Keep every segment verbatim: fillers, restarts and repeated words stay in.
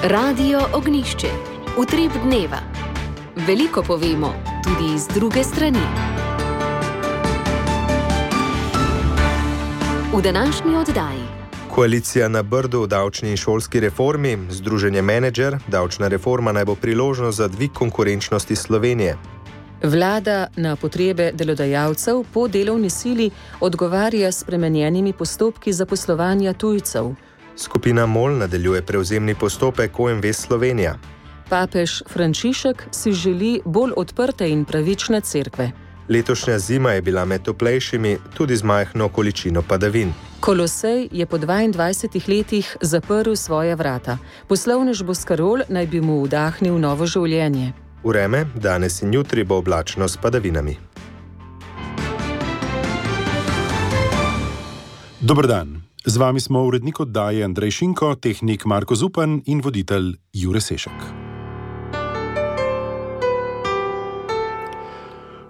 Radio Ognišče, utrip dneva. Veliko povemo, tudi iz druge strani. V današnji oddaji. Koalicija na Brdu v davčni in šolski reformi, Združenje Menedžer, davčna reforma naj bo priložnost za dvig konkurenčnosti Slovenije. Vlada na potrebe delodajalcev po delovni sili odgovarja s spremenjenimi postopki zaposlovanja tujcev. Skupina MOL nadaljuje prevzemni postopek O M V Slovenija. Papež Frančišek si želi bolj odprte in pravične cerkve. Letošnja zima je bila med toplejšimi, tudi z majhno količino padavin. Kolosej je po dvaindvajsetih letih zaprl svoja vrata. Poslovnež Boscarol naj bi mu vdahnil novo življenje. Vreme danes in jutri bo oblačno s padavinami. Dober dan. Z vami smo urednik oddaje Andrej Šinko, tehnik Marko Zupan in voditelj Jure Sešek.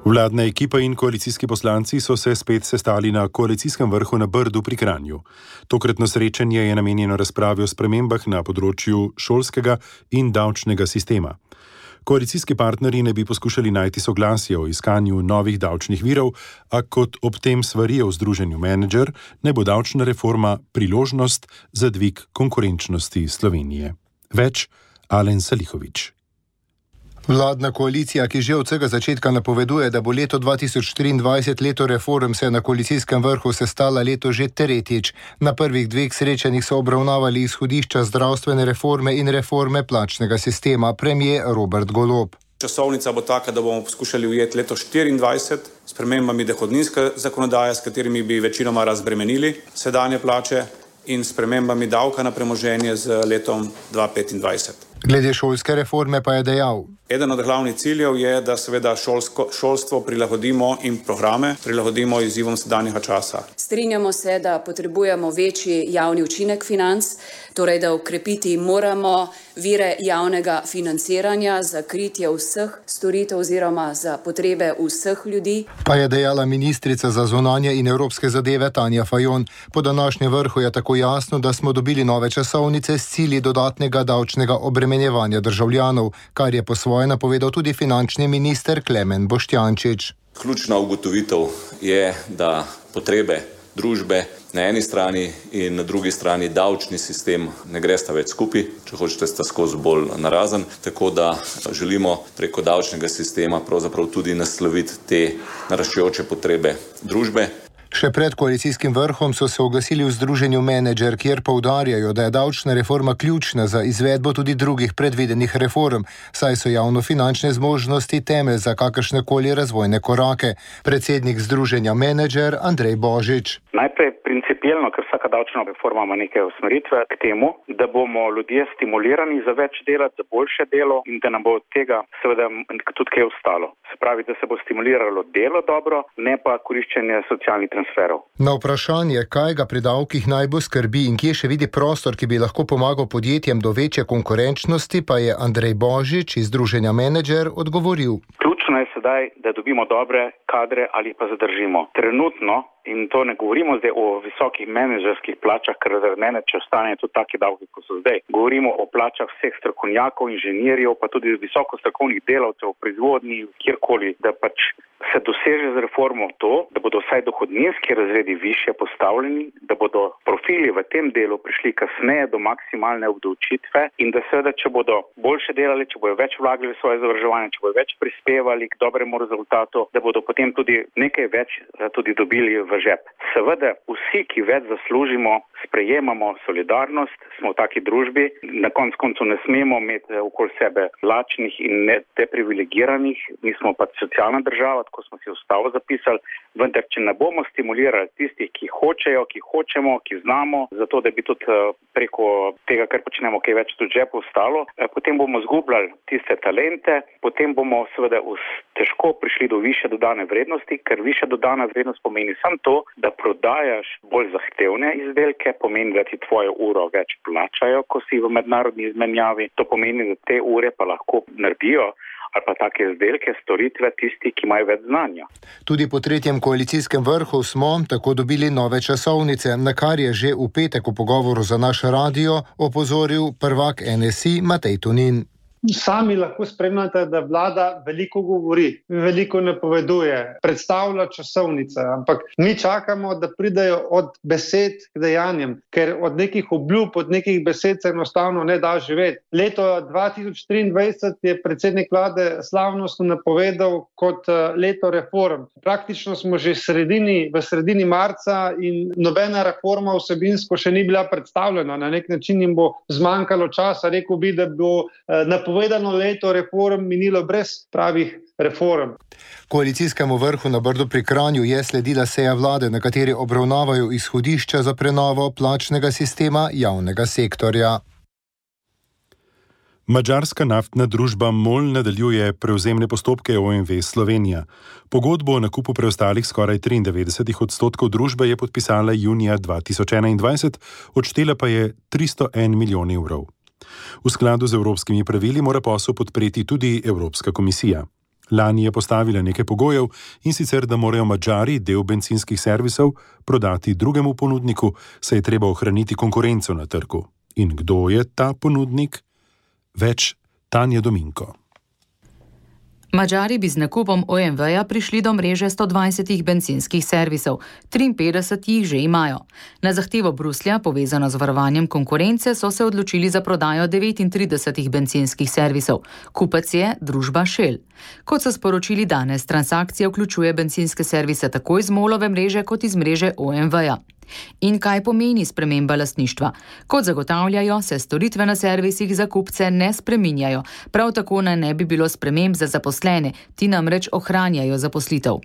Vladna ekipa in koalicijski poslanci so se spet sestali na koalicijskem vrhu na Brdu pri Kranju. Tokratno srečanje je namenjeno razpravi o spremembah na področju šolskega in davčnega sistema. Koalicijski partnerji ne bi poskušali najti soglasje o iskanju novih davčnih virov, a kot ob tem svarijo v Združenju Menedžer, ne bo davčna reforma priložnost za dvig konkurenčnosti Slovenije. Več Alen Salihović. Vladna koalicija, ki že od vsega začetka napoveduje, da bo leto dva tisoč triindvajset leto reform, se je na koalicijskem vrhu sestala leto že tretjič. Na prvih dveh srečanjih so obravnavali izhodišča zdravstvene reforme in reforme plačnega sistema, premier Robert Golob. Časovnica bo taka, da bomo poskušali ujeti leto štiriindvajset s spremembami dohodninske zakonodaje, s katerimi bi večinoma razbremenili sedanje plače, in spremembami davka na premoženje z letom dva tisoč petindvajset. Glede šolske reforme pa je dejal: Eden od glavnih ciljev je, da seveda šolsko, šolstvo prilagodimo in programe prilagodimo izzivom sedanjega časa. Strinjamo se, da potrebujemo večji javni učinek financ, torej da ukrepiti moramo vire javnega financiranja za kritje vseh storitev oziroma za potrebe vseh ljudi. Pa je dejala ministrica za zunanje in evropske zadeve Tanja Fajon. Po današnjem vrhu je tako jasno, da smo dobili nove časovnice s cilji dodatnega davčnega obremenjevanja državljanov, kar je po svoje napovedal tudi finančni minister Klemen Boštjančič. Ključna ugotovitev je, da potrebe družbe na eni strani in na drugi strani davčni sistem ne gresta več skupaj, če hočete, sta skozi bolj narazen, tako da želimo preko davčnega sistema pravzaprav tudi nasloviti te naraščajoče potrebe družbe. Še pred koalicijskim vrhom so se oglasili v Združenju Menedžer, kjer poudarjajo, da je davčna reforma ključna za izvedbo tudi drugih predvidenih reform, saj so javnofinančne zmožnosti temelj za kakršnekoli razvojne korake. Predsednik Združenja Menedžer Andrej Božič. Najprej principielno, ker vsaka davčna reforma ima neke usmeritve k temu, da bomo ljudje stimulirani za več delati, za boljše delo in da nam bo od tega seveda tudi kaj ostalo. Se pravi, da se bo stimuliralo delo dobro, ne pa koriščenje socialnih transferov. Na vprašanje, kaj ga pri davkih najbolj skrbi in kje še vidi prostor, ki bi lahko pomagal podjetjem do večje konkurenčnosti, pa je Andrej Božič iz Združenja Menedžer odgovoril. Ključno je sedaj, da dobimo dobre kadre ali pa zadržimo. Trenutno, in to ne govorimo zdaj o visokih menedžerskih plačah, ker za mene, če ostanejo tudi taki davki, kot so zdaj. Govorimo o plačah vseh strokovnjakov, inženirjev, pa tudi visoko strokovnih delavcev v proizvodnji, kjerkoli, da pač se doseže z reformo to, da bodo vsaj dohodninski razredi višje postavljeni, da bodo profili v tem delu prišli kasneje do maksimalne obdavčitve in da seveda, če bodo boljše delali, če bodo več vlagali v svoje izobraževanje, če bodo več prispevali k dobremu rezultatu, da bodo potem tudi nekaj več tudi dobili v žep. Seveda vsi, ki več zaslužimo, sprejemamo solidarnost, smo v taki družbi, na konc koncu ne smemo imeti okoli sebe lačnih in deprivilegiranih, mi smo pa socialna država, tako smo si ustavo zapisali, vendar če ne bomo stimulirali tistih, ki hočejo, ki hočemo, ki znamo, zato da bi tudi preko tega, kar počnemo, kaj več tudi žepu ostalo, potem bomo zgubljali tiste talente, potem bomo seveda težko prišli do više dodane vrednosti, ker više dodana vrednost pomeni samo to, da prodajaš bolj zahtevne izdelke, pomeni, da ti tvojo uro več plačajo, ko si v mednarodni izmenjavi, to pomeni, da te ure pa lahko naredijo ali pa take izdelke, storitve tisti, ki imajo več znanja. Tudi po tretjem koalicijskem vrhu smo tako dobili nove časovnice, na kar je že v petek v pogovoru za naš radio opozoril prvak N S I Matej Tonin. Sami lahko spremljate, da vlada veliko govori, veliko napoveduje, predstavlja časovnice, ampak mi čakamo, da pridejo od besed k dejanjem, ker od nekih obljub, od nekih besed se enostavno ne da živeti. Leto dva tisoč triindvajset je predsednik vlade slavnostno napovedal kot leto reform. Praktično smo že sredini, v sredini marca in nobena reforma vsebinsko še ni bila predstavljena. Na nek način jim bo zmanjkalo časa. Rekel bi, da bo napovedal Povedano leto reform minilo brez pravih reform. Koalicijskemu vrhu na Brdu pri Kranju je sledila seja vlade, na kateri obravnavajo izhodišča za prenovo plačnega sistema javnega sektorja. Madžarska naftna družba MOL nadaljuje prevzemne postopke O M V Slovenija. Pogodbo o nakupu preostalih skoraj triindevetdeset odstotkov družbe je podpisala junija dva tisoč enaindvajset, odštela pa je tristo en milijon evrov. V skladu z evropskimi pravili mora posel podpreti tudi Evropska komisija. Lani je postavila nekaj pogojev, in sicer, da morajo Madžari del bencinskih servisov prodati drugemu ponudniku, saj je treba ohraniti konkurenco na trgu. In kdo je ta ponudnik? Več Tanja Dominko. Madžari bi z nakupom O M V-ja prišli do mreže sto dvajset bencinskih servisov, triinpetdeset jih že imajo. Na zahtevo Bruslja, povezano z varovanjem konkurence, so se odločili za prodajo devetintrideset bencinskih servisov. Kupec je družba Shell. Kot so sporočili danes, transakcija vključuje bencinske servise tako iz MOL-ove mreže kot iz mreže O M V-ja. In kaj pomeni sprememba lastništva? Kot zagotavljajo, se storitve na servisih za kupce ne spreminjajo. Prav tako naj ne bi bilo sprememb za zaposlene, ti namreč ohranjajo zaposlitev.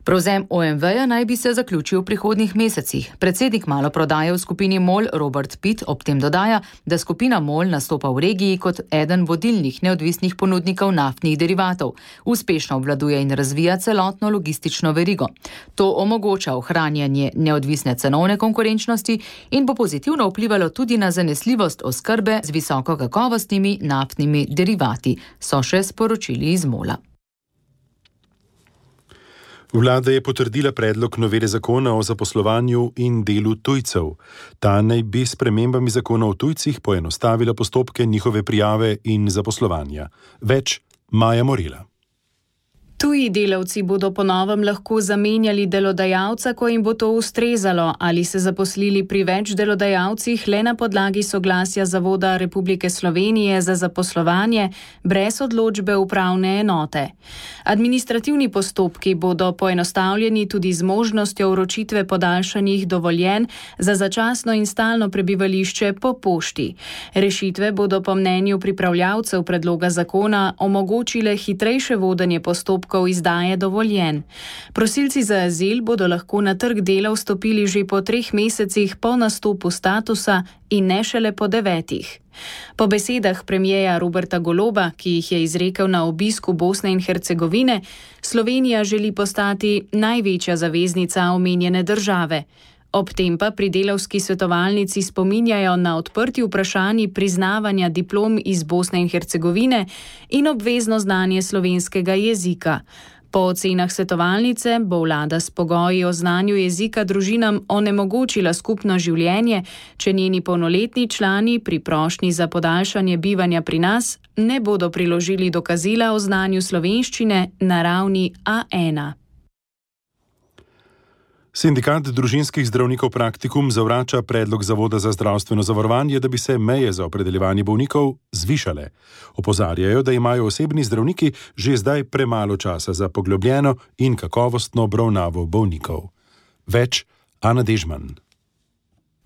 Prevzem O M V-ja naj bi se zaključil v prihodnjih mesecih. Predsednik maloprodaje v skupini MOL Robert Pitt ob tem dodaja, da skupina MOL nastopa v regiji kot eden vodilnih neodvisnih ponudnikov naftnih derivatov. Uspešno obvladuje in razvija celotno logistično verigo. To omogoča ohranjanje neodvisne cenovne konkurenčnosti in bo pozitivno vplivalo tudi na zanesljivost oskrbe z visokokakovostnimi naftnimi derivati, so še sporočili iz MOL-a. Vlada je potrdila predlog novele zakona o zaposlovanju in delu tujcev. Ta naj bi s spremembami zakona o tujcih poenostavila postopke njihove prijave in zaposlovanja. Več Maja Morila. Tuji delavci bodo po novem lahko zamenjali delodajalca, ko jim bo to ustrezalo, ali se zaposlili pri več delodajalcih le na podlagi soglasja Zavoda Republike Slovenije za zaposlovanje brez odločbe upravne enote. Administrativni postopki bodo poenostavljeni tudi z možnostjo vročitve podaljšanih dovoljenj za začasno in stalno prebivališče po pošti. Rešitve bodo po mnenju pripravljavcev predloga zakona omogočile hitrejše vodenje postopkov izdaje dovoljenj. Prosilci za azil bodo lahko na trg dela vstopili že po treh mesecih po nastopu statusa in ne šele po devetih. Po besedah premierja Roberta Goloba, ki jih je izrekel na obisku Bosne in Hercegovine, Slovenija želi postati največja zaveznica omenjene države. Ob tem pa pri delavski svetovalnici spominjajo na odprti vprašanji priznavanja diplom iz Bosne in Hercegovine in obvezno znanje slovenskega jezika. Po ocenah svetovalnice bo vlada s pogoji o znanju jezika družinam onemogočila skupno življenje, če njeni polnoletni člani pri prošnji za podaljšanje bivanja pri nas ne bodo priložili dokazila o znanju slovenščine na ravni A ena. Sindikat družinskih zdravnikov Praktikum zavrača predlog Zavoda za zdravstveno zavarovanje, da bi se meje za opredeljevanje bolnikov zvišale. Opozarjajo, da imajo osebni zdravniki že zdaj premalo časa za poglobljeno in kakovostno obravnavo bolnikov. Več Ana Dežman.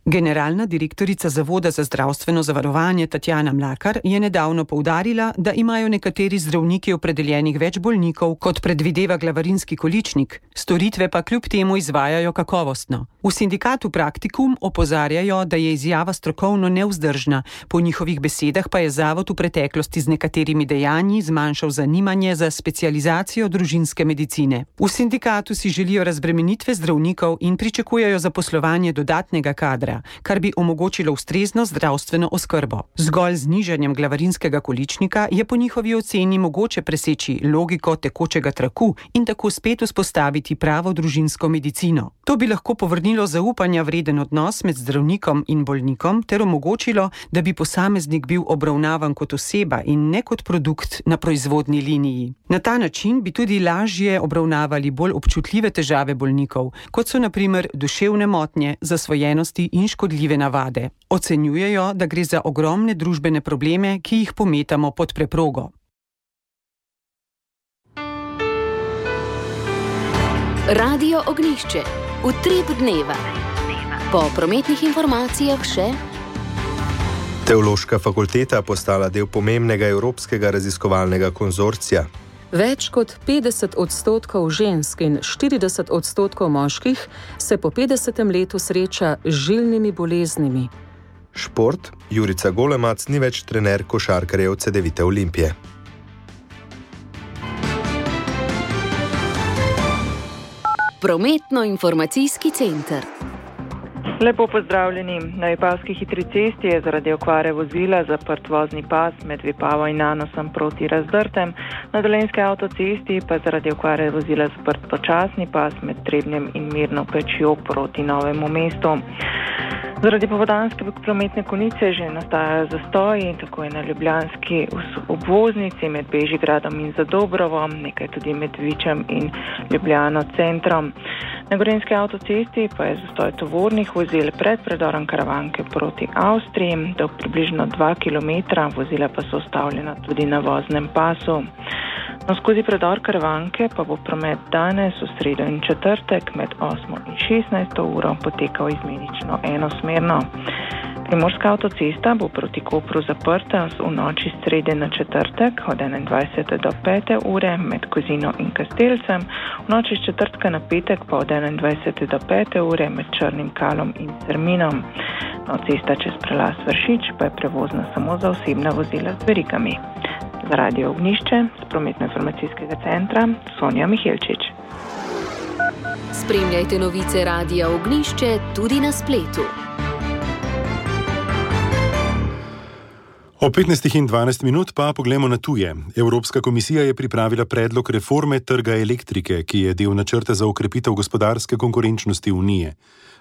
Generalna direktorica Zavoda za zdravstveno zavarovanje Tatjana Mlakar je nedavno poudarila, da imajo nekateri zdravniki opredeljenih več bolnikov, kot predvideva glavarinski količnik, storitve pa kljub temu izvajajo kakovostno. V sindikatu Praktikum opozarjajo, da je izjava strokovno nevzdržna, po njihovih besedah pa je zavod v preteklosti z nekaterimi dejanji zmanjšal zanimanje za specializacijo družinske medicine. V sindikatu si želijo razbremenitve zdravnikov in pričakujejo zaposlovanje dodatnega kadra. zdravljenja, kar bi omogočilo ustrezno zdravstveno oskrbo. Zgolj z znižanjem glavarinskega količnika je po njihovi oceni mogoče preseči logiko tekočega traku in tako spet vzpostaviti pravo družinsko medicino. To bi lahko povrnilo zaupanja vreden odnos med zdravnikom in bolnikom ter omogočilo, da bi posameznik bil obravnavan kot oseba in ne kot produkt na proizvodni liniji. Na ta način bi tudi lažje obravnavali bolj občutljive težave bolnikov, kot so na primer duševne motnje, zasvojenosti in škodljive navade. Ocenjujejo, da gre za ogromne družbene probleme, ki jih pometamo pod preprogo. Radio Ognjišče. Utrip dneva. Po prometnih informacijah še Teološka fakulteta postala del pomembnega evropskega raziskovalnega konzorcija. Več kot petdeset odstotkov žensk in štirideset odstotkov moških se po petdesetem letu sreča z žilnimi boleznimi. Šport. Jurica Golemac ni več trener košarkarjev Cedevite Olimpije. Prometno-informacijski center. Lepo pozdravljeni. Na Vipavski hitri cesti je zaradi okvare vozila zaprt vozni pas med Vipavo in Nanosom proti Razdrtem, na Dolenjski avtocesti pa zaradi okvare vozila zaprt počasni pas med Trebnjem in Mirno Pečjo proti Novemu mestu. Zaradi popoldanske prometne konice že nastajajo zastoji, tako je na ljubljanski obvoznici med Bežigradom in Zadobrovom, nekaj tudi med Vičem in Ljubljano centrom. Na Gorenjski avtocesti pa je zastoj tovornih vozil pred predorom Karavanke proti Avstriji, dolg približno dva kilometra, vozila pa so ustavljena tudi na voznem pasu. No, skozi predor Karavanke pa bo promet danes v sredo in četrtek med osmo in šestnajsto uro potekal izmenično enosmerno. Primorska avtocesta bo proti Kopru zaprta v noči srede na četrtek od enaindvajsete do pete ure med Kozino in Kastelcem, v noči s četrtka na petek pa od enaindvajsete do pete ure med Črnim Kalom in Cerminom. No, cesta čez prelaz Vršič pa je prevozna samo za osebna vozila z verigami. Za Radio Ognjišče z prometno-informacijskega centra Sonja Mihelčič. Spremljajte novice Radia Ognjišče tudi na spletu. O petnajstih in dvanajst minut pa poglejmo na tuje. Evropska komisija je pripravila predlog reforme trga elektrike, ki je del načrta za okrepitev gospodarske konkurenčnosti Unije.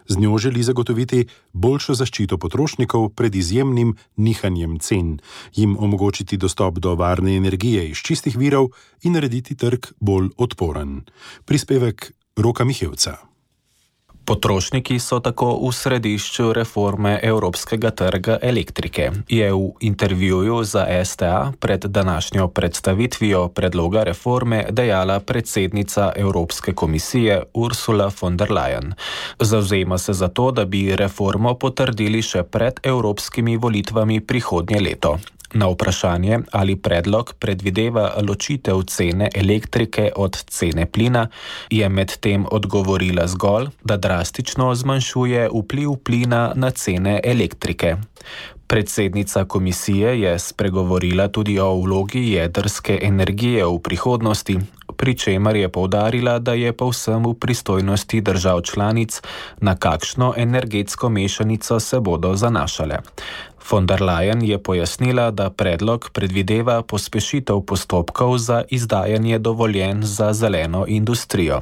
Z njo želi zagotoviti boljšo zaščito potrošnikov pred izjemnim nihanjem cen, jim omogočiti dostop do varne energije iz čistih virov in narediti trg bolj odporen. Prispevek Roka Mihevca. Potrošniki so tako v središču reforme evropskega trga elektrike, je v intervjuju za S T A pred današnjo predstavitvijo predloga reforme dejala predsednica Evropske komisije Ursula von der Leyen. Zavzema se za to, da bi reformo potrdili še pred evropskimi volitvami prihodnje leto. Na vprašanje, ali predlog predvideva ločitev cene elektrike od cene plina, je medtem odgovorila zgolj, da drastično zmanjšuje vpliv plina na cene elektrike. Predsednica komisije je spregovorila tudi o vlogi jedrske energije v prihodnosti, pri čemer je poudarila, da je povsem v pristojnosti držav članic, na kakšno energetsko mešanico se bodo zanašale. Von der Leyen je pojasnila, da predlog predvideva pospešitev postopkov za izdajanje dovoljenj za zeleno industrijo.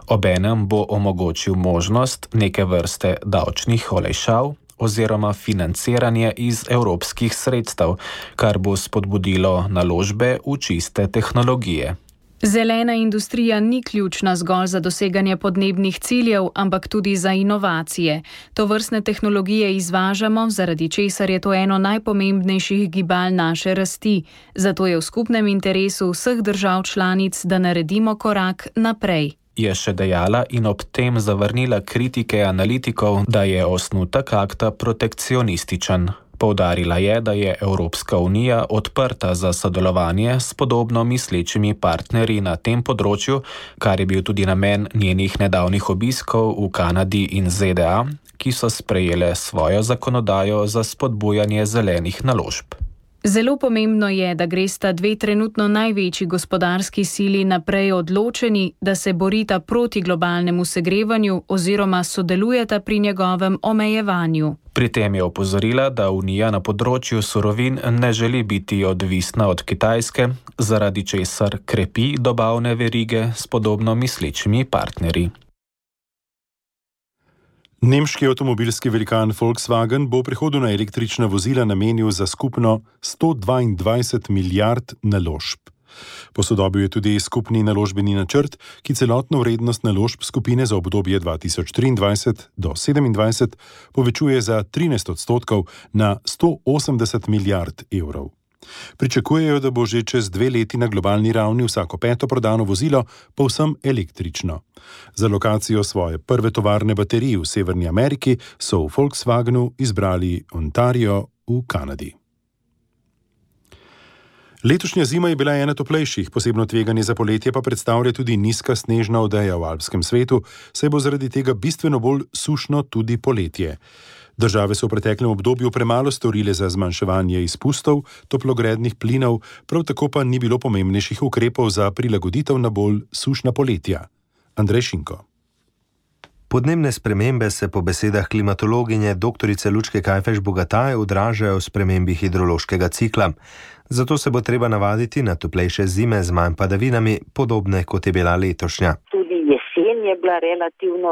Obenem bo omogočil možnost neke vrste davčnih olajšav oziroma financiranje iz evropskih sredstev, kar bo spodbudilo naložbe v čiste tehnologije. Zelena industrija ni ključna zgolj za doseganje podnebnih ciljev, ampak tudi za inovacije. Tovrstne tehnologije izvažamo, zaradi česar je to eno najpomembnejših gibal naše rasti. Zato je v skupnem interesu vseh držav članic, da naredimo korak naprej. Je še dejala in ob tem zavrnila kritike analitikov, da je osnutek akta protekcionističen. Poudarila je, da je Evropska unija odprta za sodelovanje s podobno mislečimi partnerji na tem področju, kar je bil tudi namen njenih nedavnih obiskov v Kanadi in Z D A, ki so sprejele svojo zakonodajo za spodbujanje zelenih naložb. Zelo pomembno je, da gresta dve trenutno največji gospodarski sili naprej odločeni, da se borita proti globalnemu segrevanju oziroma sodelujeta pri njegovem omejevanju. Pri tem je opozorila, da Unija na področju surovin ne želi biti odvisna od Kitajske, zaradi česar krepi dobavne verige s podobno misličimi partnerji. Nemški avtomobilski velikan Volkswagen bo v prihodu na električna vozila namenil za skupno sto dvaindvajset milijard naložb. Posodobil je tudi skupni naložbeni načrt, ki celotno vrednost naložb skupine za obdobje dva tisoč triindvajset do sedemindvajset povečuje za trinajst odstotkov na sto osemdeset milijard evrov. Pričakujejo, da bo že čez dve leti na globalni ravni vsako peto prodano vozilo povsem električno. Za lokacijo svoje prve tovarne baterij v Severni Ameriki so v Volkswagenu izbrali Ontario v Kanadi. Letošnja zima je bila ena toplejših, posebno tveganje za poletje pa predstavlja tudi nizka snežna odeja v alpskem svetu, saj bo zaradi tega bistveno bolj sušno tudi poletje. Države so v preteklem obdobju premalo storile za zmanjševanje izpustov toplogrednih plinov, prav tako pa ni bilo pomembnejših ukrepov za prilagoditev na bolj sušna poletja. Andrej Šinko. Podnebne spremembe se po besedah klimatologinje doktorice Lučke Kajfež-Bogataj odražajo v spremembi hidrološkega cikla. Zato se bo treba navaditi na toplejše zime z manj padavinami, podobne kot je bila letošnja. Tudi jesen je bila relativno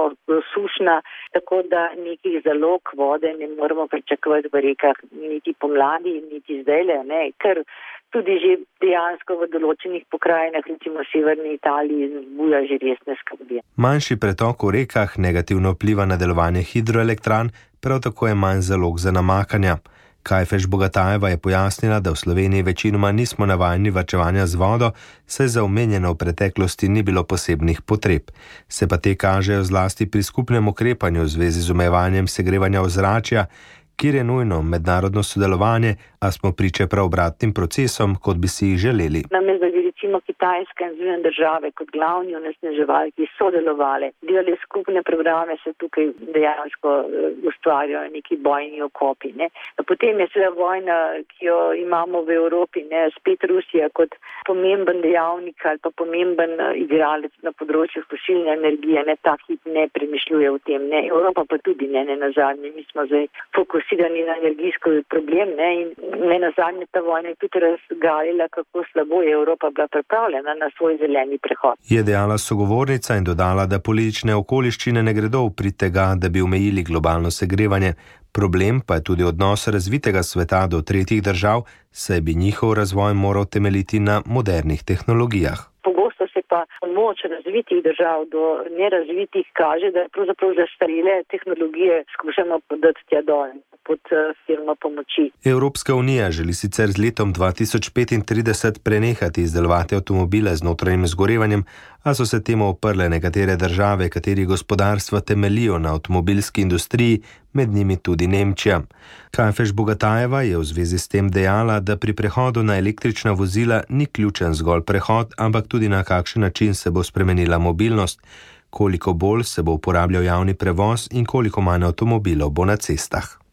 sušna, tako da nekih zalog vode ne moremo pričakovati v rekah niti pomladi, niti zdajle, ne, ker tudi že dejansko v določenih pokrajinah, recimo v severni Italiji, zbuja že resne skrbi. Manjši pretok v rekah negativno vpliva na delovanje hidroelektran, prav tako je manj zalog za namakanja. Kajfež-Bogatajeva je pojasnila, da v Sloveniji večinoma nismo navajeni varčevanja z vodo, saj za omenjeno v preteklosti ni bilo posebnih potreb. Se pa te kažejo zlasti pri skupnem ukrepanju v zvezi z omejevanjem segrevanja ozračja, kjer je nujno mednarodno sodelovanje, a smo priče prav obratnim procesom, kot bi si jih želeli. Namesto bi recimo Kitajska in Združene države kot glavni onesnaževalki sodelovali, delali skupne programe, se tukaj dejansko ustvarjajo neki bojni okopi. Ne. Potem je seveda vojna, ki jo imamo v Evropi, ne, spet Rusija kot pomemben dejavnik ali pa pomemben igralec na področju fosilne energije, ne, ta hip ne premišljuje o tem. Ne. Evropa pa tudi ne, ne nazadnje. Mi smo zdaj fokusirani na energijski problem, ne, in ne nazadnje ta vojna je tudi razgalila, kako slabo je Evropa bila pripravljena na svoj zeleni prehod. Je dejala sogovornica in dodala, da politične okoliščine ne gredo v prid tega, da bi omejili globalno segrevanje. Problem pa je tudi odnos razvitega sveta do tretjih držav, saj bi njihov razvoj moral temeljiti na modernih tehnologijah. Pogosto se pa moč razvitih držav do nerazvitih kaže, da pravzaprav zastarele tehnologije skušamo podati tja dol pod firmo pomoči. Evropska unija želi sicer z letom dva tisoč petintrideset prenehati izdelovati avtomobile z notranjim izgorevanjem, a so se temu oprle nekatere države, katerih gospodarstva temeljijo na avtomobilski industriji, med njimi tudi Nemčija. Kajfež-Bogatajeva je v zvezi s tem dejala, da pri prehodu na električna vozila ni ključen zgolj prehod, ampak tudi na kakšen način se bo spremenila mobilnost, koliko bolj se bo uporabljal javni prevoz in koliko manj avtomobilov bo na cestah.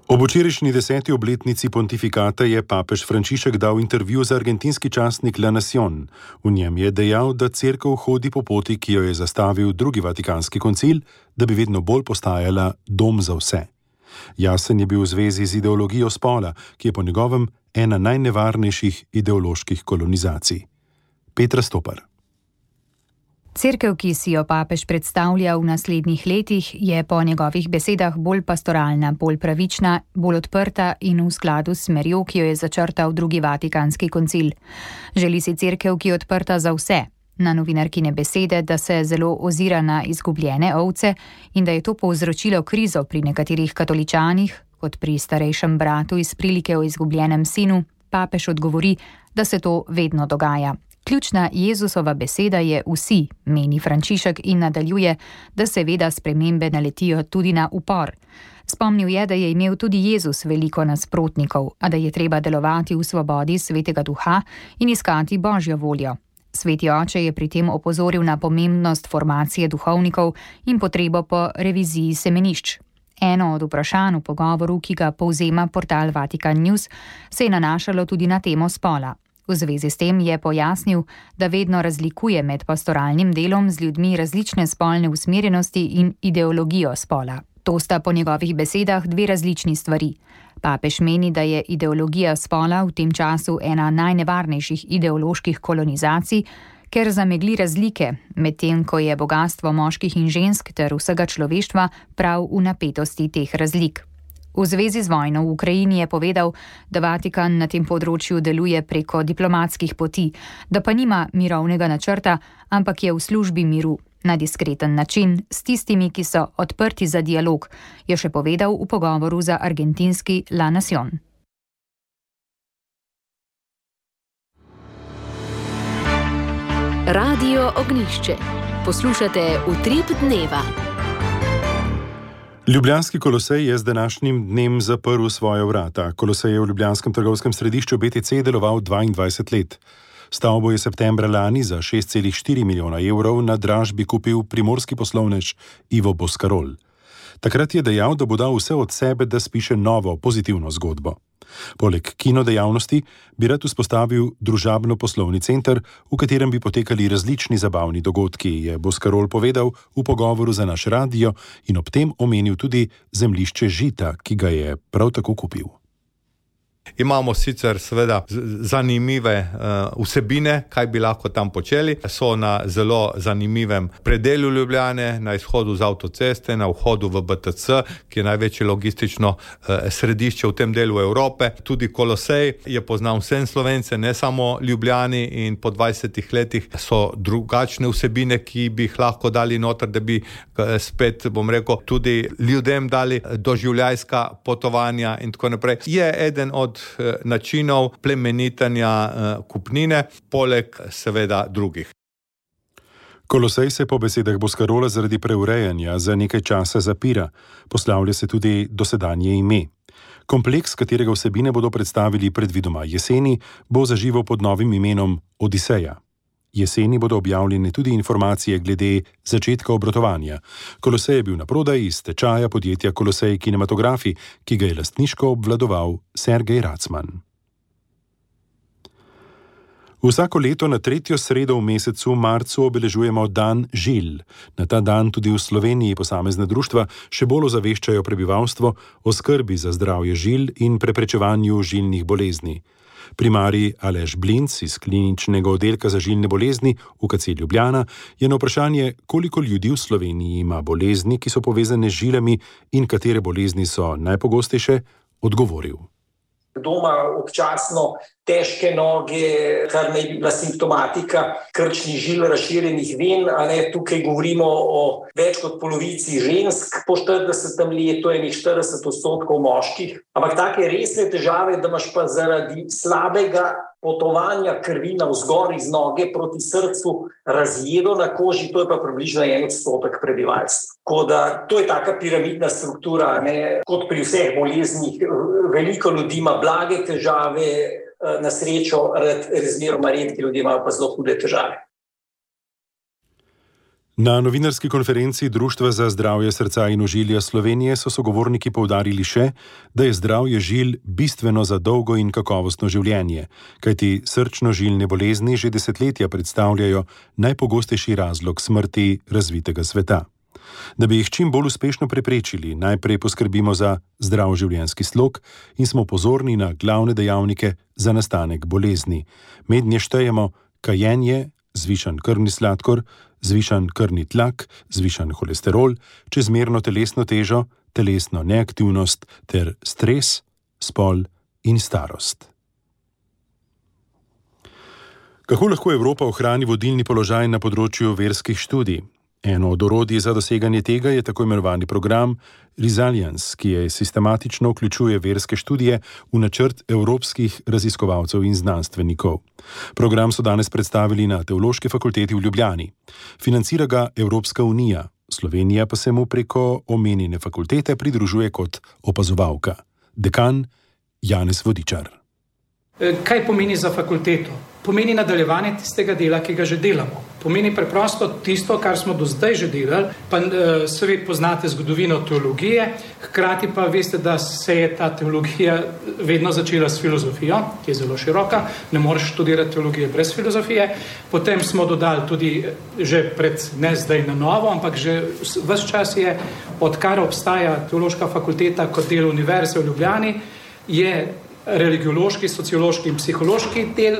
Ob včerajšnji deseti obletnici pontifikata je papež Frančišek dal intervju za argentinski časnik La Nación. V njem je dejal, da cerkev hodi po poti, ki jo je zastavil drugi vatikanski koncil, da bi vedno bolj postajala dom za vse. Jasen je bil v zvezi z ideologijo spola, ki je po njegovem ena najnevarnejših ideoloških kolonizacij. Petra Stopar. Cerkev, ki si jo papež predstavlja v naslednjih letih, je po njegovih besedah bolj pastoralna, bolj pravična, bolj odprta in v skladu s smerjo, ki jo je začrtal drugi vatikanski koncil. Želi si cerkev, ki je odprta za vse. Na novinarkine besede, da se zelo ozira na izgubljene ovce in da je to povzročilo krizo pri nekaterih katoličanih, kot pri starejšem bratu iz prilike o izgubljenem sinu, papež odgovori, da se to vedno dogaja. Ključna Jezusova beseda je vsi, meni Frančišek in nadaljuje, da seveda spremembe naletijo tudi na upor. Spomnil je, da je imel tudi Jezus veliko nasprotnikov, a da je treba delovati v svobodi svetega duha in iskati Božjo voljo. Sveti oče je pri tem opozoril na pomembnost formacije duhovnikov in potrebo po reviziji semenišč. Eno od vprašanj v pogovoru, ki ga povzema portal Vatikan News, se je nanašalo tudi na temo spola. V zvezi s tem je pojasnil, da vedno razlikuje med pastoralnim delom z ljudmi različne spolne usmerjenosti in ideologijo spola. To sta po njegovih besedah dve različni stvari. Papež meni, da je ideologija spola v tem času ena najnevarnejših ideoloških kolonizacij, ker zamegli razlike, medtem ko je bogastvo moških in žensk ter vsega človeštva prav v napetosti teh razlik. V zvezi z vojno v Ukrajini je povedal, da Vatikan na tem področju deluje preko diplomatskih poti, da pa nima mirovnega načrta, ampak je v službi miru, na diskreten način, s tistimi, ki so odprti za dialog, je še povedal v pogovoru za argentinski La Nación. Radio Ognjišče. Poslušate Utrip dneva. Ljubljanski Kolosej je z današnjim dnem zaprl svoja vrata. Kolosej je v ljubljanskem trgovskem središču B T C deloval dvaindvajset let. Stavbo je septembra lani za šest celih štiri milijona evrov na dražbi kupil primorski poslovnež Ivo Boscarol. Takrat je dejal, da bo dal vse od sebe, da spiše novo, pozitivno zgodbo. Poleg kinodejavnosti bi rad vzpostavil družabno-poslovni center, v katerem bi potekali različni zabavni dogodki, je Boscarol povedal v pogovoru za naš radio in ob tem omenil tudi zemljišče Žita, ki ga je prav tako kupil. Imamo sicer seveda zanimive uh, vsebine, kaj bi lahko tam počeli. So na zelo zanimivem predelu Ljubljane, na izhodu z avtoceste, na vhodu v B T C, ki je največje logistično uh, središče v tem delu Evrope. Tudi Kolosej je poznal vsem Slovence, ne samo Ljubljani, in po dvajsetih letih so drugačne vsebine, ki bi jih lahko dali noter, da bi uh, spet, bom rekel, tudi ljudem dali doživljajska potovanja in tako naprej. Je eden od načinov plemenitanja kupnine, poleg seveda drugih. Kolosej se po besedah Boscarola zaradi preurejanja za nekaj časa zapira. Poslavlja se tudi dosedanje ime. Kompleks, katerega vsebine bodo predstavili predvidoma jeseni, bo zaživel pod novim imenom Odiseja. Jeseni bodo objavljene tudi informacije glede začetka obratovanja. Kolosej je bil na prodaj iz stečaja podjetja Kolosej Kinematografi, ki ga je lastniško obvladoval Sergej Racman. Vsako leto na tretjo sredo v mesecu marcu obeležujemo Dan žil. Na ta dan tudi v Sloveniji posamezna društva še bolj ozaveščajo prebivalstvo o skrbi za zdravje žil in preprečevanju žilnih bolezni. Primarij Aleš Blinc iz kliničnega oddelka za žilne bolezni U K C Ljubljana je na vprašanje, koliko ljudi v Sloveniji ima bolezni, ki so povezane z žilami in katere bolezni so najpogostejše, odgovoril. Kdo ima občasno težke noge, kar naj bi bila simptomatika krčnih žil, razširjenih ven, a ne, tukaj govorimo o več kot polovici žensk po štiridesetem letu, enih štirideset odstotkov moških. Ampak take resne težave, da imaš pa zaradi slabega potovanja krvi navzgor iz noge proti srcu razjedo na koži, to je pa približno en odstotek prebivalstva. Tako da to je taka piramidna struktura, ne, kot pri vseh boleznih. Veliko ljudi ima blage težave, na srečo razmeroma redki ljudje imajo pa zelo hude težave. Na novinarski konferenci Društva za zdravje srca in ožilja Slovenije so sogovorniki poudarili še, da je zdravje žil bistveno za dolgo in kakovostno življenje, kajti srčno-žilne bolezni že desetletja predstavljajo najpogostejši razlog smrti razvitega sveta. Da bi jih čim bolj uspešno preprečili, najprej poskrbimo za zdrav življenjski slog in smo pozorni na glavne dejavnike za nastanek bolezni. Mednje štejemo kajenje, zvišan krvni sladkor, zvišan krvni tlak, zvišan holesterol, čezmerno telesno težo, telesno neaktivnost ter stres, spol in starost. Kako lahko Evropa ohrani vodilni položaj na področju verskih študij? Eno od orodij za doseganje tega je tako imenovani program Resilience, ki je sistematično vključuje verske študije v načrt evropskih raziskovalcev in znanstvenikov. Program so danes predstavili na Teološki fakulteti v Ljubljani. Financira ga Evropska unija, Slovenija pa se mu preko omenjene fakultete pridružuje kot opazovalka. Dekan Janez Vodičar. Kaj pomeni za fakulteto? pomeni nadaljevanje tistega dela, ki ga že delamo. Pomeni preprosto tisto, kar smo do zdaj že delali, pa seveda poznate zgodovino teologije, hkrati pa veste, da se je ta teologija vedno začela s filozofijo, ki je zelo široka, ne moreš študirati teologije brez filozofije. Potem smo dodali tudi že pred, ne zdaj na novo, ampak že ves čas je, odkar obstaja teološka fakulteta kot del Univerze v Ljubljani, je religiološki, sociološki in psihološki del.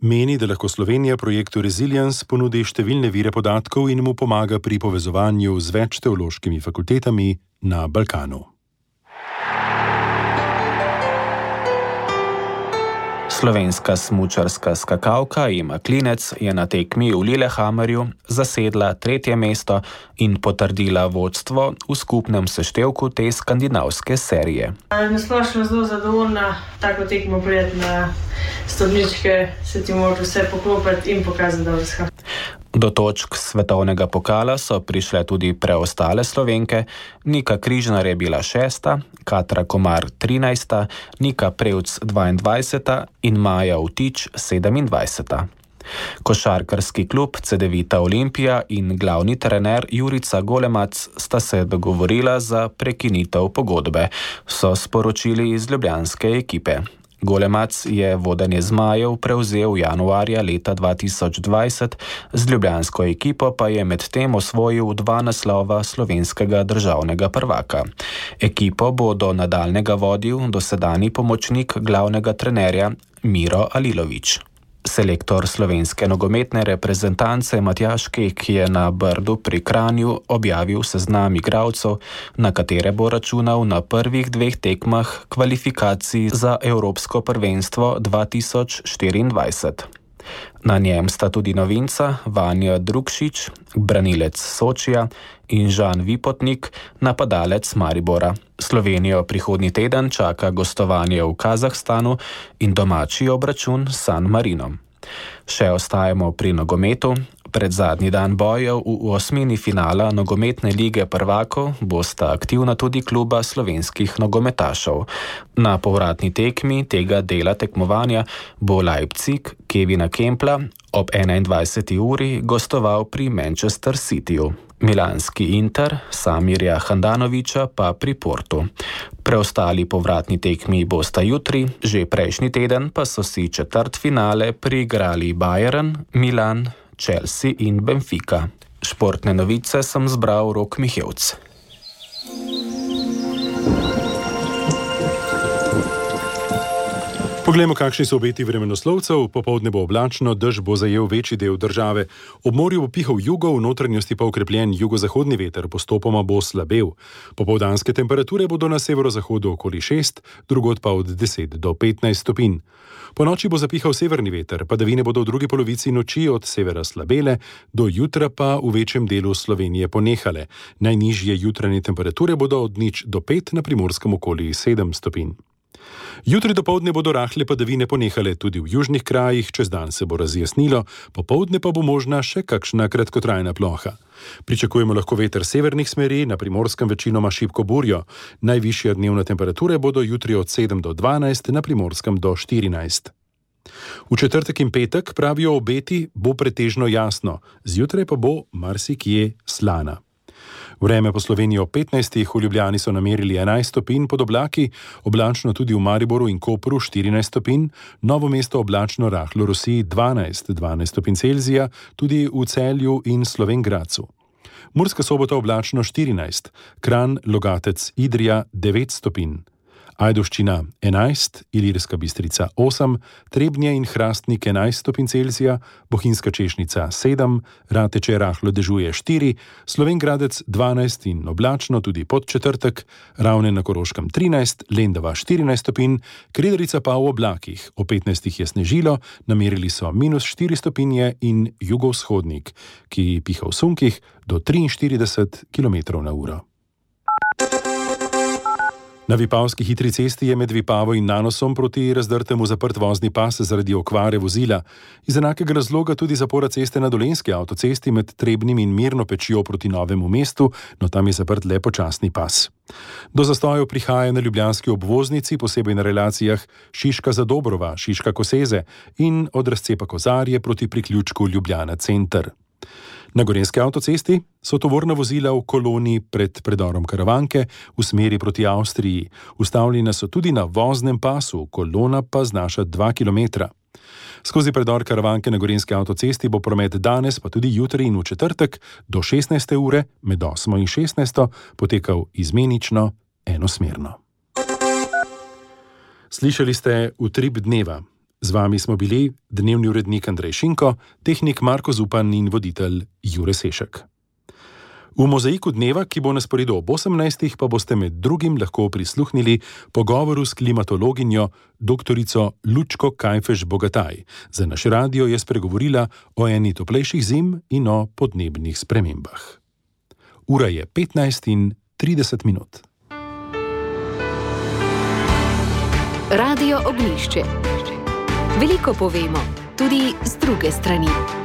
Meni, da lahko Slovenija projektu Resilience ponudi številne vire podatkov in mu pomaga pri povezovanju z več teološkimi fakultetami na Balkanu. Slovenska smučarska skakalka Ema Klinec je na tekmi v Lillehammerju zasedla tretje mesto in potrdila vodstvo v skupnem seštevku te skandinavske serije. Na splošno zelo zadovoljna, tako tekmo prijeti na stopničke, se ti mora vse poklopiti in pokazati, da vse. Do točk svetovnega pokala so prišle tudi preostale Slovenke. Nika Križnar je bila šesta, Katra Komar trinajsta, Nika Prevc dvaindvajseta in Maja Vtič sedemindvajseta. Košarkarski klub Cedevita Olimpija in glavni trener Jurica Golemac sta se dogovorila za prekinitev pogodbe, so sporočili iz ljubljanske ekipe. Golemac je vodenje zmajev prevzel januarja leta dva tisoč dvajset, z ljubljansko ekipo pa je med tem osvojil dva naslova slovenskega državnega prvaka. Ekipo bo do nadaljnega vodil dosedanji pomočnik glavnega trenerja Miro Alilović. Selektor slovenske nogometne reprezentance Matjaž Kek je na Brdu pri Kranju objavil seznam igralcev, na katere bo računal na prvih dveh tekmah kvalifikacij za Evropsko prvenstvo dva tisoč štiriindvajset. Na njem sta tudi novinca Vanja Drukšič, branilec Sočija, in Žan Vipotnik, napadalec Maribora. Slovenijo prihodnji teden čaka gostovanje v Kazahstanu in domači obračun s San Marinom. Še ostajamo pri nogometu. Pred zadnji dan bojev v osmini finala nogometne lige prvakov bosta aktivna tudi kluba slovenskih nogometašev. Na povratni tekmi tega dela tekmovanja bo Leipzig Kevina Kempla ob enaindvajseti uri gostoval pri Manchester Cityju. Milanski Inter Samirja Handanovića pa pri Portu. Preostali povratni tekmi bosta jutri, že prejšnji teden pa so si četrtfinale priigrali Bayern, Milan, Chelsea in Benfica. Športne novice sem zbral Rok Mihevc. Poglejmo, kakšni so obeti vremenoslovcev. Popoldne bo oblačno, dež bo zajel večji del države. Ob morju bo pihal jugo, v notranjosti pa okrepljen jugozahodni veter, postopoma bo slabel. Popoldanske temperature bodo na severozahodu okoli šest, drugod pa od deset do petnajst stopinj. Po noči bo zapihal severni veter, padavine bodo v drugi polovici noči od severa slabele, do jutra pa v večjem delu Slovenije ponehale. Najnižje jutranje temperature bodo od nič do pet, na Primorskem okoli sedem stopinj. Jutri dopoldne bodo rahle padavine ponehale tudi v južnih krajih, čez dan se bo razjasnilo, popoldne pa bo možna še kakšna kratkotrajna ploha. Pričakujemo lahko veter severnih smeri, na Primorskem večinoma šibko burjo. Najvišje dnevne temperature bodo jutri od sedem do dvanajst, na Primorskem do štirinajst. V četrtek in petek, pravijo obeti, bo pretežno jasno, zjutraj pa bo marsikje slana. Vreme po Sloveniji ob petnajstih, v Ljubljani so namerili enajst stopinj pod oblaki, oblačno tudi v Mariboru in Kopru štirinajst stopinj, Novo mesto oblačno rahlo rosi dvanajst, dvanajst stopinj Celzija, tudi v Celju in Slovenj Gradcu. Murska Sobota oblačno štirinajst, Kranj, Logatec, Idrija devet stopinj. Ajdovščina enajst, Ilirska Bistrica osem, Trebnje in Hrastnik enajst stopinj Celzija, Bohinjska Češnica sedem, Rateče rahlo dežuje štiri, Slovenj Gradec dvanajst in oblačno tudi pod četrtek, Ravne na Koroškem trinajst, Lendava štirinajst stopinj, Kredarica pa v oblakih, o petnajstih je snežilo, namerili so minus štiri stopinje in jugovzhodnik, ki piha v sunkih do triinštirideset kilometrov na uro. Na Vipavski hitri cesti je med Vipavo in Nanosom proti Razdrtemu zaprt vozni pas zaradi okvare vozila. Iz enakega razloga tudi zapora ceste na Dolenjski avtocesti med Trebnjem in Mirno Pečjo proti Novemu mestu, no tam je zaprt le počasni pas. Do zastojev prihaja na ljubljanski obvoznici, posebej na relacijah Šiška-Zadobrova, Šiška-Koseze in od razcepa Kozarje proti priključku Ljubljana center. Na Gorenjski avtocesti so tovorna vozila v koloni pred predorom Karavanke v smeri proti Avstriji. Ustavljena so tudi na voznem pasu, kolona pa znaša dva kilometra. Skozi predor Karavanke na Gorenjski avtocesti bo promet danes, pa tudi jutri in v četrtek do šestnajste ure med osmo in šestnajsto potekal izmenično enosmerno. Slišali ste Utrip dneva. Z vami smo bili dnevni urednik Andrej Šinko, tehnik Marko Zupan in voditelj Jure Sešek. V mozaiku dneva, ki bo na sporedu ob osemnajstih, pa boste med drugim lahko prisluhnili pogovoru s klimatologinjo doktorico Lučko Kajfež-Bogataj. Za naš radio je spregovorila o eni toplejših zim in o podnebnih spremembah. Ura je petnajst in trideset minut. Radio Oglišče. Veliko povemo, tudi z druge strani.